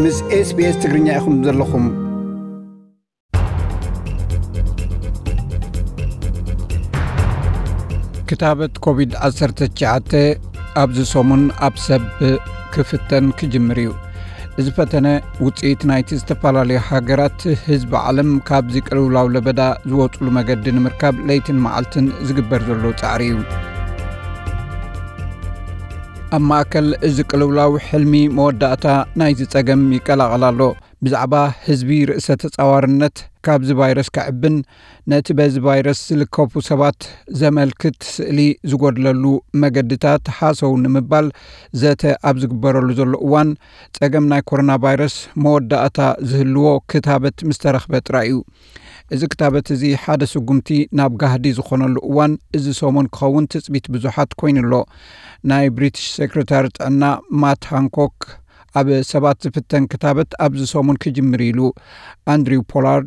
ምስ SBS ትግርኛ ኢኹም ዘለኹም። ክታበት ኮቪድ ዓሰርተ ትሽዓተ ኣብዚ ሰሙን ኣብ ሰብ ክፍተን ክጅምር እዩ። እዚ ፈተነ ውጽኢት ናይቲ ዝተፈላለዩ ሃገራት ህዝቢ ዓለም ካብዚ ቅልውላው ለበዳ ዝወጽሉ መገዲ ንምርካብ ለይትን መዓልትን ዝግበር ዘሎ ጻዕሪ እዩ። ኣብ ማእከል እዚ ቅልውላው ሕልሚ መወዳእታ ናይዚ ጸገም ይቀላቐል ኣሎ። ብዛዕባ ህዝቢ ርእሰ ተጻዋርነት ካብዚ ቫይረስ ከዕብን ነቲ በዚ ቫይረስ ዝልከፉ ሰባት ዘመልክት ስእሊ ዝጎድለሉ መገድታት ሃሰው ንምባል ዘተ ኣብ ዝግበረሉ ዘሎ እዋን፣ ጸገም ናይ ኮሮና ቫይረስ መወዳእታ ዝህልዎ ክታበት ምስ ተረኽበ ጥራይ እዩ። እዚ ክታበት እዚ ሓደ ስጉምቲ ናብ ጋህዲ ዝኾነሉ እዋን እዚ ሰሙን ክኸውን ትጽቢት ብዙሓት ኮይኑ ኣሎ። ናይ ብሪቲሽ ሴክሬታሪ ጥዕና ማት ሃንኮክ፣ ኣብ ሰባት ዝፍተን ክታበት ኣብዚ ሰሙን ክጅምር ኢሉ። ኣንድሪው ፖላርድ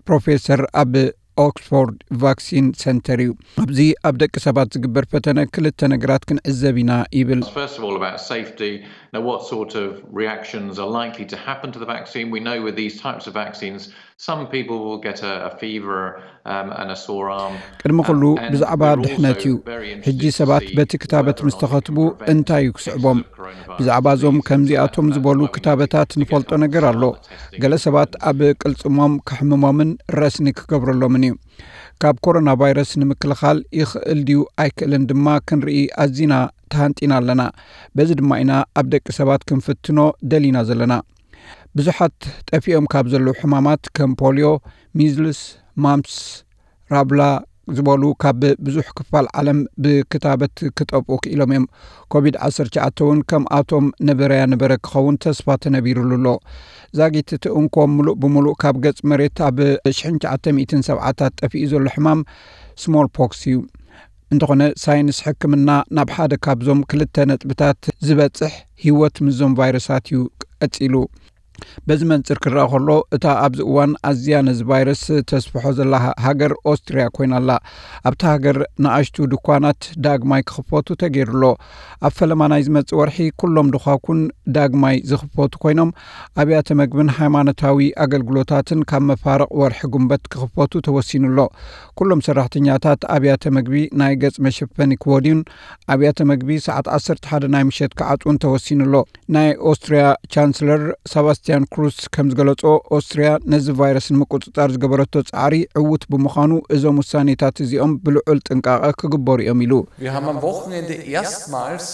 ፕሮፌሰር ኣብ ኦክስፎርድ ቫክሲን ሰንተር እዩ። ኣብዚ ኣብ ደቂ ሰባት ዝግበር ፈተነ ክልተ ነገራት ክንዕዘብ ኢና ይብል። First of all, about safety. Now, what sort of reactions are likely to happen to the vaccine? We know with these types of vaccines, some people will get a, a fever, um, and a sore arm. ቅድሚ ኩሉ ብዛዕባ ድሕነት እዩ። ሕጂ ሰባት በቲ ክታበት ምስ ተኸትቡ እንታይ እዩ ክስዕቦም? ብዛዕባ እዞም ከምዚኣቶም ዝበሉ ክታበታት ንፈልጦ ነገር ኣሎ። ገለ ሰባት ኣብ ቅልጽሞም ከሕምሞምን ረስኒ ክገብረሎምን እዩ። ካብ ኮሮና ቫይረስ ንምክልኻል ይኽእል ድዩ ኣይክእልን ድማ ክንርኢ ኣዚና ተሃንጢና ኣለና። በዚ ድማ ኢና ኣብ ደቂ ሰባት ክንፍትኖ ደሊና ዘለና። ብዙሓት ጠፊኦም ካብ ዘለዉ ሕማማት ከም ፖልዮ፣ ሚዝልስ፣ ማምፕስ፣ ራብላ ዝበሉ ካብ ብዙሕ ክፋል ዓለም ብክታበት ክጠፍኡ ክኢሎም እዮም። ኮቪድ ዓሰርተ ትሽዓተ እውን ከምኣቶም ነበረያ ነበረ ክኸውን ተስፋ ተነቢሩሉ ኣሎ። ዛጊት እቲ እንኮ ምሉእ ብምሉእ ካብ ገጽ መሬት ኣብ ሽሕን ትሽዓተ ሚእትን ሰብዓታት ጠፊኡ ዘሎ ሕማም ስሞል ፖክስ እዩ። እንተኾነ ሳይንስ ሕክምና ናብ ሓደ ካብዞም ክልተ ነጥብታት ዝበጽሕ ህይወት ምስዞም ቫይረሳት እዩ ቀጺሉ። በዚ መንጽር ክረኣ ከሎ፣ እታ ኣብዚ እዋን ኣዝያ ነዚ ቫይረስ ተስፍሖ ዘላ ሃ-፣ ሃገር ኦስትርያ ኮይና ኣላ። ኣብታ ሃገር ንኣሽቱ ድኳናት ዳግማይ ክኽፈቱ ተገይሩ ኣሎ። ኣብ ፈለማ ናይ ዝመጽእ ወርሒ ኩሎም ድኻኩን ዳግማይ ዝኽፈቱ ኮይኖም፣ ኣብያተ መግብን ሃይማኖታዊ ኣገልግሎታትን ካብ መፋርቕ ወርሒ ጉንበት ክኽፈቱ ተወሲኑ ኣሎ። ኩሎም ሰራሕተኛታት ኣብያተ መግቢ ናይ ገጽ መሸፈኒ ክወድዩን ኣብያተ መግቢ ሰዓት ዓሰርተ ሓደ ናይ ምሸት ክዓጽውን ተወሲኑ ኣሎ። ናይ ኦስትርያ ቻንስለር ሰባስቲያን ክሩስ ከም ዝገለጾ፣ ኦስትርያ ነዚ ቫይረስ ንምቁጽጻር ዝገበረቶ ጻዕሪ ዕዉት ብምዃኑ፣ እዞም ውሳኔታት እዚኦም ብልዑል ጥንቃቐ ክግበሩ እዮም ኢሉ። Wir haben am Wochenende erstmals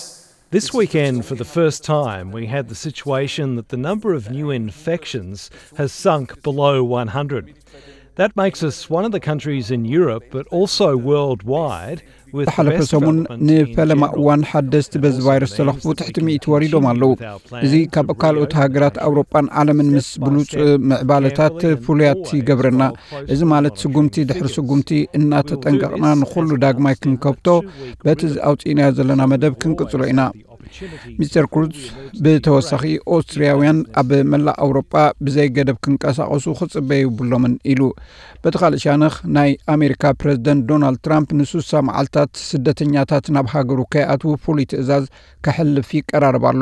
This weekend, for the first time, we had the situation that the number of new infections has sunk below one hundred. That makes us one of the countries in Europe, but also worldwide, with the ዝሓለፈ best ሰሙን development in ንፈለማ general እዋን ሓደስቲ በዚ ቫይረስ ተለኽፉ ትሕቲ ሚእቲ ወሪዶም ኣለዉ። እዚ ካብ ካልኦት ሃገራት ኣውሮጳን ዓለምን ምስ ብሉጽ ምዕባለታት ፍሉያት ይገብረና። እዚ ማለት ስጉምቲ ድሕሪ ስጉምቲ እናተጠንቀቕና ንኹሉ ዳግማይ ክንከብቶ በቲ ኣውጺእናዮ ዘለና መደብ ክንቅጽሎ ኢና። ሚስተር ክሩዝ ብተወሳኺ፣ ኦስትርያውያን ኣብ መላእ ኣውሮጳ ብዘይ ገደብ ክንቀሳቐሱ ክጽበዩ የብሎምን ኢሉ። በቲ ካልእ ሻነኽ፣ ናይ ኣሜሪካ ፕረዚደንት ዶናልድ ትራምፕ ንሱሳ መዓልታት ስደተኛታት ናብ ሃገሩ ከይኣትዉ ፍሉይ ትእዛዝ ከሕልፍ ይቀራረብ ኣሎ።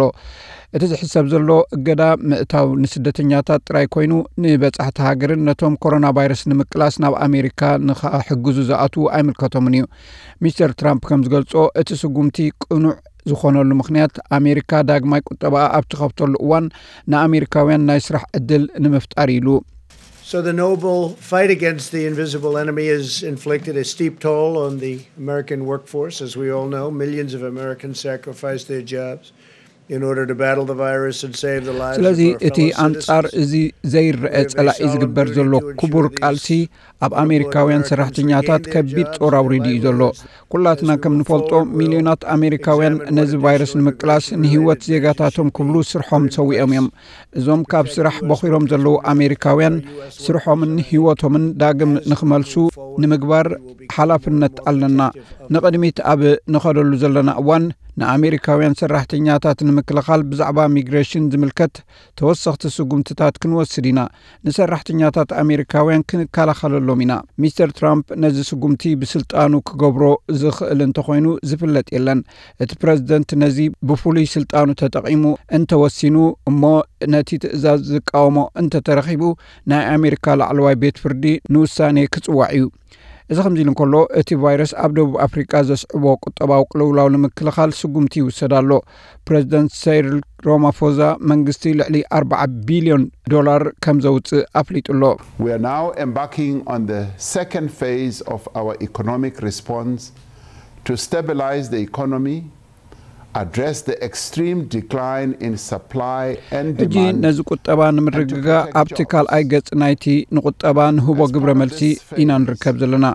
እቲ ዝሕሰብ ዘሎ እገዳ ምእታው ንስደተኛታት ጥራይ ኮይኑ፣ ንበጻሕቲ ሃገርን ነቶም ኮሮና ቫይረስ ንምቅላስ ናብ ኣሜሪካ ንኸሕግዙ ዝኣትዉ ኣይምልከቶምን እዩ። ሚስተር ትራምፕ ከም ዝገልጾ፣ እቲ ስጉምቲ ቅኑዕ ዝኾነሉ ምኽንያት፣ ኣሜሪካ ዳግማይ ቁጠባኣ ኣብ ትኸፍተሉ እዋን ንኣሜሪካውያን ናይ ስራሕ ዕድል ንምፍጣር ኢሉ። So the noble fight against the invisible enemy has inflicted a steep toll on the American workforce. As we all know, millions of Americans sacrificed their jobs in order to battle the virus and save the lives of ስለዚ our እቲ fellow ኣንጻር citizens. እዚ ዘይረአ We have a ጸላኢ solemn ዝግበር duty ዘሎ to ensure ክቡር these ቃልሲ ኣብ ኣሜሪካውያን ሰራሕተኛታት ከቢድ ጾር ኣውሪዱ እዩ ዘሎ። ኩላትና ከም ንፈልጦ፣ ሚልዮናት ኣሜሪካውያን ነዚ ቫይረስ ንምቅላስ ንህይወት ዜጋታቶም ክብሉ ስርሖም ሰዊኦም እዮም። እዞም ካብ ስራሕ በኺሮም ዘለዉ ኣሜሪካውያን ስርሖምን ህይወቶምን ዳግም ንኽመልሱ ንምግባር ሓላፍነት ኣለና። ንቕድሚት ኣብ ንኸደሉ ዘለና እዋን፣ ንኣሜሪካውያን ሰራሕተኛታት ንምክልኻል ብዛዕባ ሚግሬሽን ዝምልከት ተወሰኽቲ ስጉምትታት ክንወስድ ኢና። ንሰራሕተኛታት ኣሜሪካውያን ክንከላኸለሎም ኢና። ሚስተር ትራምፕ ነዚ ስጉምቲ ብስልጣኑ ክገብሮ ዝኽእል እንተኾይኑ ዝፍለጥ የለን። እቲ ፕረዚደንት ነዚ ብፍሉይ ስልጣኑ ተጠቒሙ እንተወሲኑ እሞ ነቲ ትእዛዝ ዝቃወሞ እንተተረኺቡ ናይ ኣሜሪካ ላዕለዋይ ቤት ፍርዲ ንውሳኔ ክጽዋዕ እዩ። እዚ ከምዚ ኢሉ እንከሎ እቲ ቫይረስ ኣብ ደቡብ ኣፍሪቃ ዘስዕቦ ቁጠባዊ ቅልውላው ንምክልኻል ስጉምቲ ይውሰድ ኣሎ። ፕረዚደንት ሰይሪል ሮማፎዛ መንግስቲ ልዕሊ ኣርባዓ ቢልዮን ዶላር ከም ዘውፅእ ኣፍሊጡ ኣሎ። We are now embarking on the second phase of our economic response to stabilize the economy, address the extreme decline in supply and ሕጂ demand. ነዚ ቁጠባ ንምርግጋእ ኣብቲ ካልኣይ ገጽ ናይቲ ንቁጠባ ንህቦ ግብረ መልሲ ኢና ንርከብ ዘለና።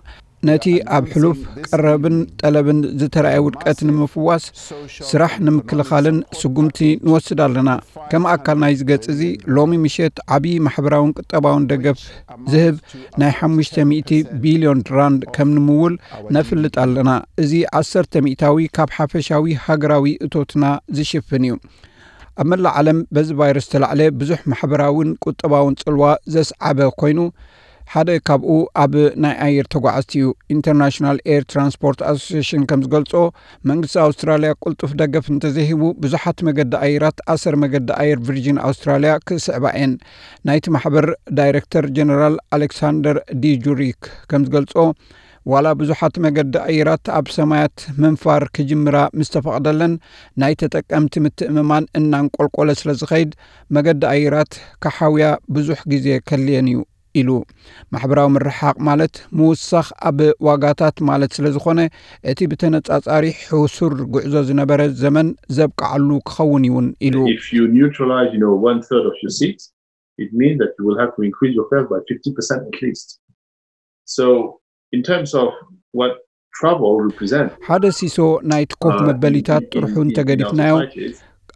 ነቲ ኣብ ሕሉፍ ቀረብን ጠለብን ዝተረኣየ ውድቀት ንምፍዋስ ስራሕ ንምክልኻልን ስጉምቲ ንወስድ ኣለና። ከም ኣካል ናይዚ ገጽ እዚ ሎሚ ምሸት ዓብዪ ማሕበራውን ቁጠባውን ደገፍ ዝህብ ናይ ሓሙሽተ ሚእቲ ቢልዮን ራንድ ከም ንምውል ነፍልጥ ኣለና። እዚ ዓሰርተ ሚእታዊ ካብ ሓፈሻዊ ሃገራዊ እቶትና ዝሽፍን እዩ። ኣብ መላእ ዓለም በዚ ቫይረስ ተላዕለ ብዙሕ ማሕበራውን ቁጠባውን ጽልዋ ዘስዓበ ኮይኑ ሓደ ካብኡ ኣብ ናይ ኣየር ተጓዓዝቲ እዩ። ኢንተርናሽናል ኤር ትራንስፖርት ኣሶሲሽን ከም ዝገልጾ መንግስቲ ኣውስትራልያ ቁልጡፍ ደገፍ እንተዘይሂቡ ብዙሓት መገዲ ኣየራት ኣሰር መገዲ ኣየር ቪርጂን ኣውስትራልያ ክስዕባ እየን። ናይቲ ማሕበር ዳይረክተር ጀነራል ኣሌክሳንደር ዲ ጁሪክ ከም ዝገልጾ ዋላ ብዙሓት መገዲ ኣየራት ኣብ ሰማያት ምንፋር ክጅምራ ምስ ተፈቕደለን ናይ ተጠቀምቲ ምትእምማን እናንቆልቆለ ስለ ዝኸይድ መገዲ ኣየራት ክሓውያ ብዙሕ ግዜ ከልየን እዩ ኢሉ። ማሕበራዊ ምርሓቕ ማለት ምውሳኽ ኣብ ዋጋታት ማለት ስለ ዝኾነ እቲ ብተነጻጻሪ ሕሱር ጉዕዞ ዝነበረ ዘመን ዘብቅዓሉ ክኸውን እውን ኢሉ። If you neutralize, you know, one third of your seats, it means that you will have to increase your fares by fifty percent at least. So, in terms of what travel represents, ሓደ ሲሶ ናይቲ ኮፍ መበሊታት ጥርሑ እንተገዲፍናዮ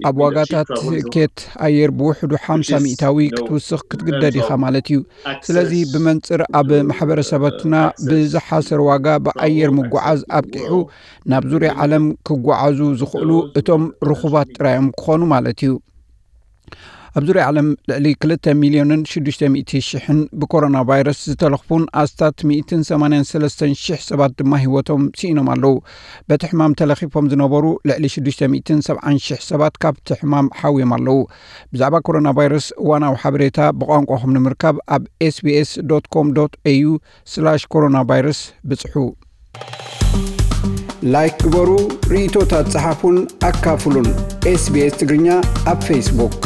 ኣብ ዋጋታት ትኬት ኣየር ብውሕዱ ሓምሳ ሚእታዊ ክትውስኽ ክትግደድ ኢኻ ማለት እዩ። ስለዚ ብመንጽር ኣብ ማሕበረሰባትና ብዝሓሰር ዋጋ ብኣየር ምጉዓዝ ኣብቂዑ ናብ ዙርያ ዓለም ክጓዓዙ ዝኽእሉ እቶም ርኹባት ጥራዮም ክኾኑ ማለት እዩ። ኣብ ዙርያ ዓለም ልዕሊ ክልተ ሚልዮንን ሽዱሽተ ሚእቲ ሽሕን ብኮሮና ቫይረስ ዝተለኽፉን ኣስታት ሚእትን ሰማንያን ሰለስተን ሽሕ ሰባት ድማ ህይወቶም ስኢኖም ኣለዉ። በቲ ሕማም ተለኺፎም ዝነበሩ ልዕሊ ሽዱሽተ ሚእትን ሰብዓን ሽሕ ሰባት ካብቲ ሕማም ሓውዮም ኣለዉ። ብዛዕባ ኮሮና ቫይረስ እዋናዊ ሓበሬታ ብቋንቋኹም ንምርካብ ኣብ ኤስቢኤስ ዶት ኮም ዶት ኤዩ ስላሽ ኮሮና ቫይረስ ብጽሑ። ላይክ ግበሩ፣ ርእይቶታት ጸሓፉን ኣካፍሉን። ኤስቢኤስ ትግርኛ ኣብ ፌስቡክ።